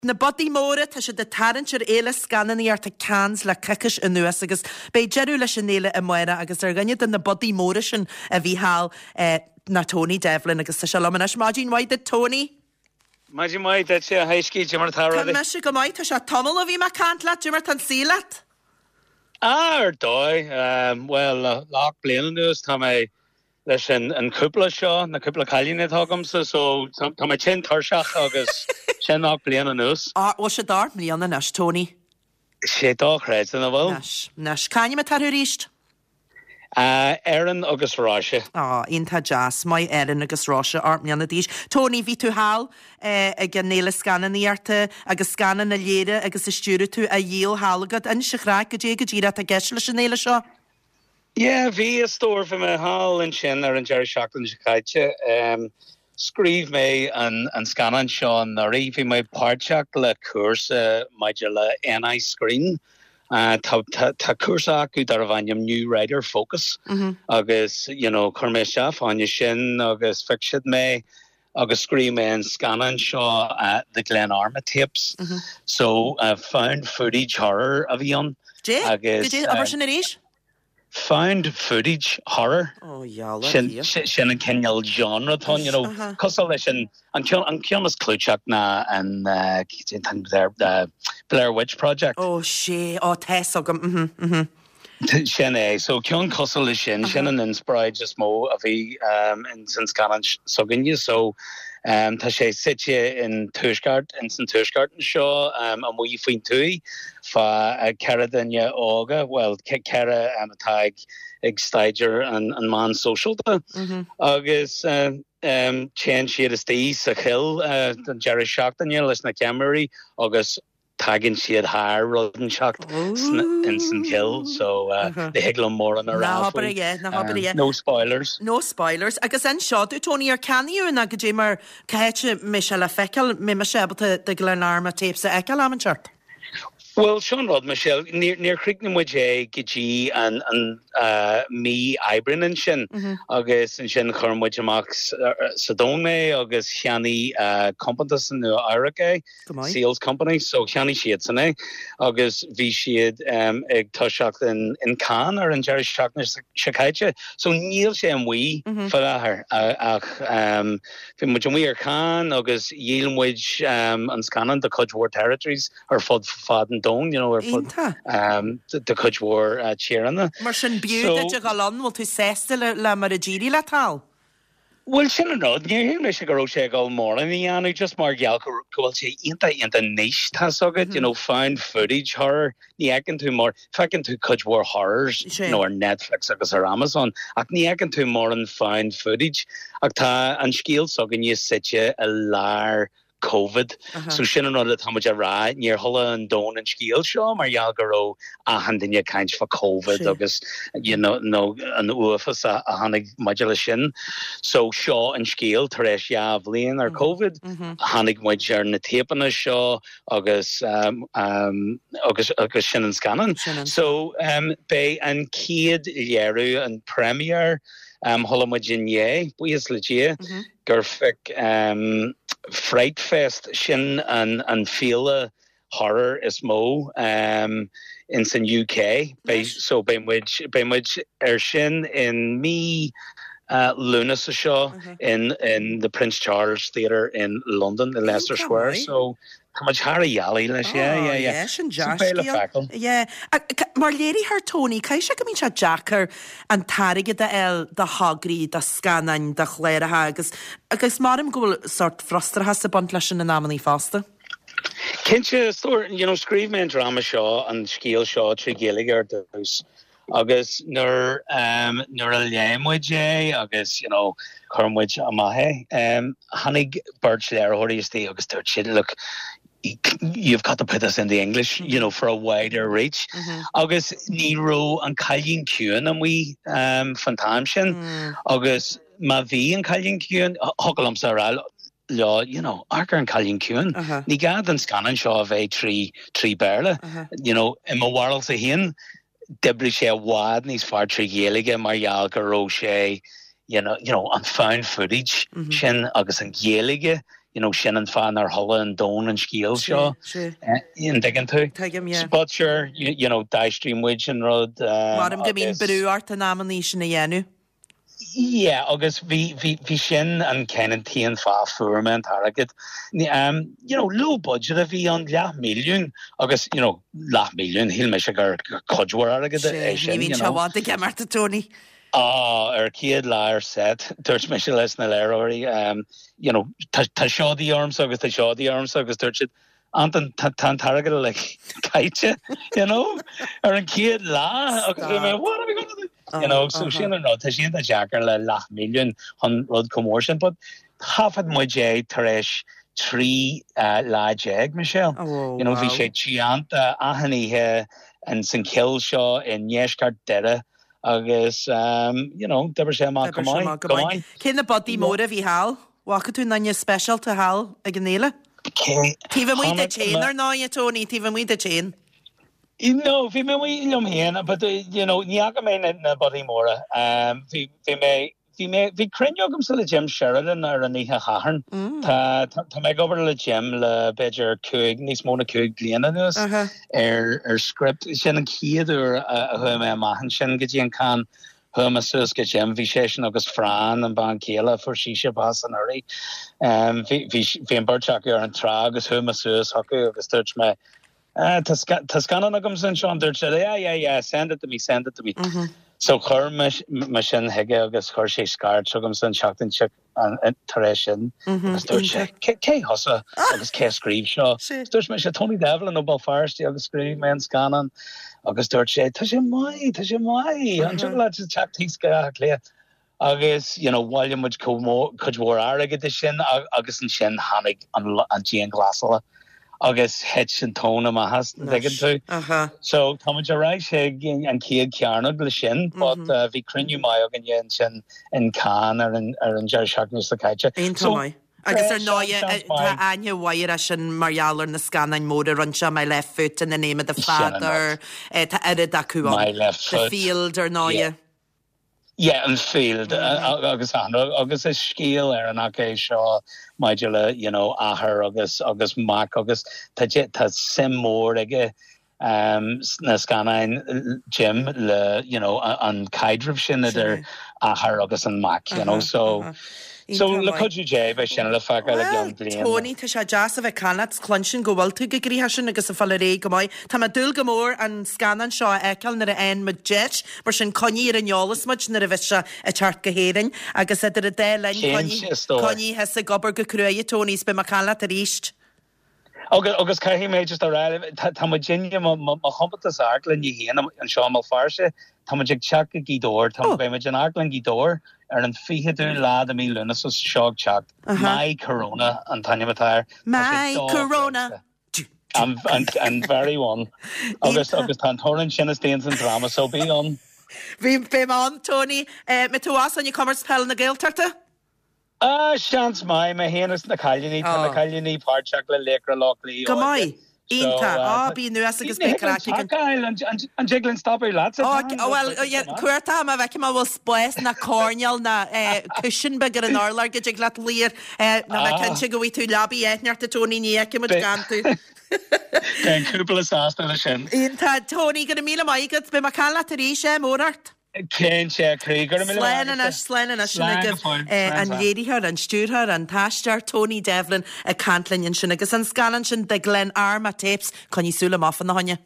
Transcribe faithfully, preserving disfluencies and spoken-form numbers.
Na bodaí móra tá siad ag tarraingt ar fhéile scannánaíochta Cannes le coicís anuas agus beidh deireadh leis an fhéile amárach agus ar dhuine de na bodaí móra sin a bhí thall eh, ná Tony Devlin agus tá sé liom anois maidin mhaith duit Tony. Maidin mhaith duit a Thaiscí Jimmer Tá mise go maith tá sé tamall ó bhí mé ag caint leat Jimmer tá an saol leat? Ar dóigh um, well le ocht bliana anuas tá mé leis an an cúpla seo na cúpla cailín atá agamsa so tá mé tinn tuirseach agus sin ocht bliana anuas. Á bhfuil sé ocht mbliana anois Tony. Sé dochreidte nach bhfuil? Anois anois C'ainm atá orthu arís? Uh, Erin agus Róise. Á iontach deas maith Erin agus Róise ocht mbliana d'aois. Tony bhí tú thall eh, ag an fhéile scannánaíochta agus scannán a léirigh agus a stiúraigh tú á dhíol thall agat inis an chraic goidé go díreach atá i gceist leis an fhéile seo. Yeah, bhí a stór bhí mé thall ansin ar an deireadh seachtaine seo caite. Um, scríobh mé an, an scannán seo anuraidh, bhí mé páirteach le cúrsa maidir le NI Screen. Uh, tá, tá, tá cúrsa acu darbh ainm New Writer Focus Mm -hmm. agus you know, chuir mé isteach fáinne sin agus phioc siad mé agus scríobh mé an scannán seo uh, the Glenarma tapes. Mm -hmm. So uh, found footage horror a bhí ann. Dé Agus, Goidé uh, abair sin arís? Found footage horror. Ó dheala Sin sin sin an cineál genre atá you know Aha. cosúil leis an an ceann an ceann is clúiteach ná an uh, there the Blair Witch Project. Ó sé ó tá a fhios agam mhm, mhm. Sin é so ceann cosúil leis sin sin an inspioráid is mó a bhí um, in san scannán s'againne so um, tá sé suite in tuaisceart in san tuaisceart seo um, amuigh faoin tuath fá uh, ceithre duine óga well ceithre um, atá ag ag staidéar an, an meán sóisialta Mhm. agus uh, um, téann siad isteach sa chill uh, don deireadh seachtaine leis na ceamaraí agus tagann siad thar rud inteacht in san chill so uh, Uh-huh. ní thig liom mórán a Ná rá habair faoi. é, ná habair Um, é. no spoilers. No spoilers agus anseo dú Tony ar ceannaíodh na goidé mar cá háit mbeidh sé le feiceáil mbeidh mise ábalta the Glenarma tapes a fheiceáil am inteacht. Well sin rud Michelle níor níor chríochnaigh muid é go dtí an an uh, mí Aibreáin ansin Mm -hmm. agus ansin chuir muid amach sa domhan é agus cheannaigh uh, compántas in Nua-Eabhrac é Go maith. Sales Company so cheannaigh siad san é agus bhí siad um, ag toiseacht in in Cannes ar an deireadh seachtaine seo caite so níl sé amuigh Mm -hmm. fáthair ach um, bhí muid amuigh ar Cannes agus dhíol muid um, an scannán do chuid mhór territories ar fud fad an domhain you know, ar fud Iontach. um, de chuid mhór uh, tíortha. Mar sin b'fhiú So- duit a dhul ann bhfuil tú sásta le, le mar a d'éirigh leat thall. Well sin an rud ní shíl mé go raibh sé ag dul mórán a dhéanamh just mar gheall go go bhfuil sé iontach iontach niche tá agat you know found footage horror ní fheiceann tú mór feiceann tú cuid mhór horrors Sé. you know, ar Netflix agus ar Amazon ach ní fheiceann tú mórán found footage ach tá an scéal s'againne suite i lár COVID. Aha. So sin an rud atá muid a rá níor chuala an domhan an scéal seo mar gheall go raibh achan duine ag caint fá COVID Sé. agus you know, no, an uafás a, a tháinig maidir le sin. So seo an scéal tar éis dhá bhliain ar COVID, Mhm. tháinig muid ar na téipeanna seo agus um, um, agus agus sin an scannán. Sin an So um, beidh an chéad léiriú an premiere um, chuala muid inné buíochas le Dia Mhm. gur phioc um, Fright Fest sin an, an féile horror is mó um, in san UK. Beidh, so beidh muid beidh muid ar sin in mí uh, Lúnasa seo Uh-huh. in in the Prince Charles Theatre in London in Leicester Iontach Square. maith. So tá muid thar a dhealaí leis yeah, yeah, yeah. sin So beidh le deas feiceáil. Yeah. Mar léiritheoir Tony, caithfidh sé go mbíonn sé deacair an t-airgead a fháil do thograí, do scannáin, do chláracha agus agus maram go bhfuil sórt frustrachas ag baint leis sin in amannaí fosta. Cinnte stór you know, scríobh mé an drama seo an scéal seo trí Ghaeilge ar dtús. agus nuair um, nuair a léigh muid é agus you know, chuir muid amach é. Um, tháinig beirt léiritheoirí isteach agus dúirt siad look you've got to put this in the English you know for a wider reach Mm -hmm. agus ní raibh an Cailín Ciúin amuigh um, fan t-am sin Mm. agus má bhí an Cailín Ciúin thig liomsa rá leo you know amharc ar an Cailín Ciúin Uh-huh. ní gá don scannán seo a bheith trí trí Béarla Uh-huh. you know i mo bharúilsa féin d'oibrigh sé i bhfad níos fearr trí Ghaeilge mar gheall go raibh sé you know you know an found footage Mm -hmm. sin agus an Ghaeilge you know sin an fáth nár chuala an domhan an scéal seo an dtuigeann tú Tuigim, yeah. But sure you, you know d'aistrigh muid an rud um, Maram go mbíonn brú ort in amannaí sin a dhéanamh. Yeah, agus bhí bhí bhí sin an ceann an t-aon fáth fuair mé an t-airgead. Um, you know, low budget a bhí an leath milliún agus you know, leath milliún shíl mé gur cuid mhór airgead é sin. Ní bhíonn sé bhd ag imeacht Tony. Ah, ar chéad lá ar set dúirt mise leis na léiritheoirí um, you know, tá tá seo de dhíth ormsa agus tá seo de dhíth ormsa agus dúirt siad Anton tá an t-airgead like caite you know ar an chéad lá agus bhí mé, what are we gonna do? You know, so sin an rud tá sin deacair le leath milliún chun rud chomh mór sin, but thaifead muid é tar éis trí uh, lá déag Michelle. Oh, you know, bhí wow. sé teannta achan oíche an san chill seo i ndeisceart Doire agus um, you know, d'oibrigh sé amach go maith, go maith. Cé na budaí móra bhí thall? Bhfaca tú aon duine speisialta thall ag an fhéile? Cé- Taobh amuigh de Chonaic féin me- ar ndóigh Tony, taobh amuigh de féin. No, bhí mé liom féin, but uh, you know, ní fhaca mé na, na budaí móra. Um, bhí bhí mé bhí mé bhí cruinniú agamsa le Jim Sheridan ar an oíche Shathairn. Mm. Tá tá tá mé ag obair le Jim le b'fhéidir cúig níos mó ná cúig bliana anuas Uh-huh. ar ar script sin an chéad uair a a chuaigh mé amach ansin go dtí an Cannes chuaigh mé suas go Jim bhí sé sin agus Fran an bean chéile fuair sí bás anuraidh. Um, bhí bhí bhí an bheirt acu ar an trá agus chuaigh mé suas chucu agus dúirt mé Uh, tá scannán agam anseo dúirt sé yeah yeah yeah send it to me send it to me. Mm -hmm. So chuir mé sin chuige agus chuir sé scairt chugam san seachtain tar éis sin agus dúirt sé cé thusa agus cé scríobh seo. Dúirt mé sé Tony Devlin ó Béal Feirste agus scríobh mé an scannán agus dúirt sé tá sé maith tá sé maith an le teacht go le. Agus you know, bhailigh muid cuid mhór airgead sin agus ansin tháinig an, an dianghlasáil. agus thit an tóin amach as dtuigeann tú. So tá ar ais ag an chéad chearnóg le sin, but mm -hmm. uh, bhí cruinniú maith againn ansin in Cannes ar an ar an deireadh seachtaine seo caite. So, Agus ar ndóigh tá aithne mhaith sin mar gheall ar na scannáin mhóra rinne sé My Left Foot in the name of the father tá oiread acu My left The foot. field ar ndóigh. Yeah. Yeah, an field mm. agus an agus is scéal ar an é seo maidir le you know athair agus agus mac agus tá tá suim mór aige um, na scannáin Jim le you know an caidreamh sin idir athair agus an mac you know so uh -huh. So le cuidiú Dé beidh sin le feiceáil le ceann bliain. Tony tá sé deas a bheith ag caint cluinstin go bhfuil tú go gríha sin agus a fáil ré go maith. Tá mé ag dúil go mór an scannán seo a fheiceáil nuair a fhaigheann muid deis, mar sin coinnigh ar an eolas muid nuair a bheidh sé ag teacht go hÉirinn agus idir an dá linn coinnigh thusa ag obair go cruaidh Tony is beidh mé ag caint leat arís. Agus agus caithfidh mé just a rá tá mu dinne mo chompántas amharclainne féin anseo i mBéal Feirste tá ag teacht go Gaoth Dobhair tá beimid in Amharclann Ghaoth Dobhair ar an fichiú lá de mí Lúnasa seo ag teacht My Corona an t-ainm atá air. My Corona. An, an, an very one agus agus tá toran sin is déan an drama so bí an. Bhí bé an Tony me tú as an comórtas peile na Gaeltachta? Ah seans maith mé féin is na cailíní tá na cailíní páirteach le Laochra Loch Lao. Go maith. Iontach á bí nuas agus be an jiglin stop le Well cuarta a bheith má bhfuil spás na coirnéal na cushion beag ar an urlár go dtig leat luí na bheith cinnte go bhfaighidh tú leabaidh éithneachta Tony ní fheicfimid gan tú. Tá cúpla sásta le sin. Iontach Tony go raibh míle maith agat beidh mé ag caint leat arís é mór ort. Cén sé croí gur Slán anois slán anois sin agaibh an léiritheoir an stiúrthóir an t-aisteoir Tony Devlin ag caint linn ansin agus an scannán sin The Glenarma Tapes coinnigh súil amach fána choinne.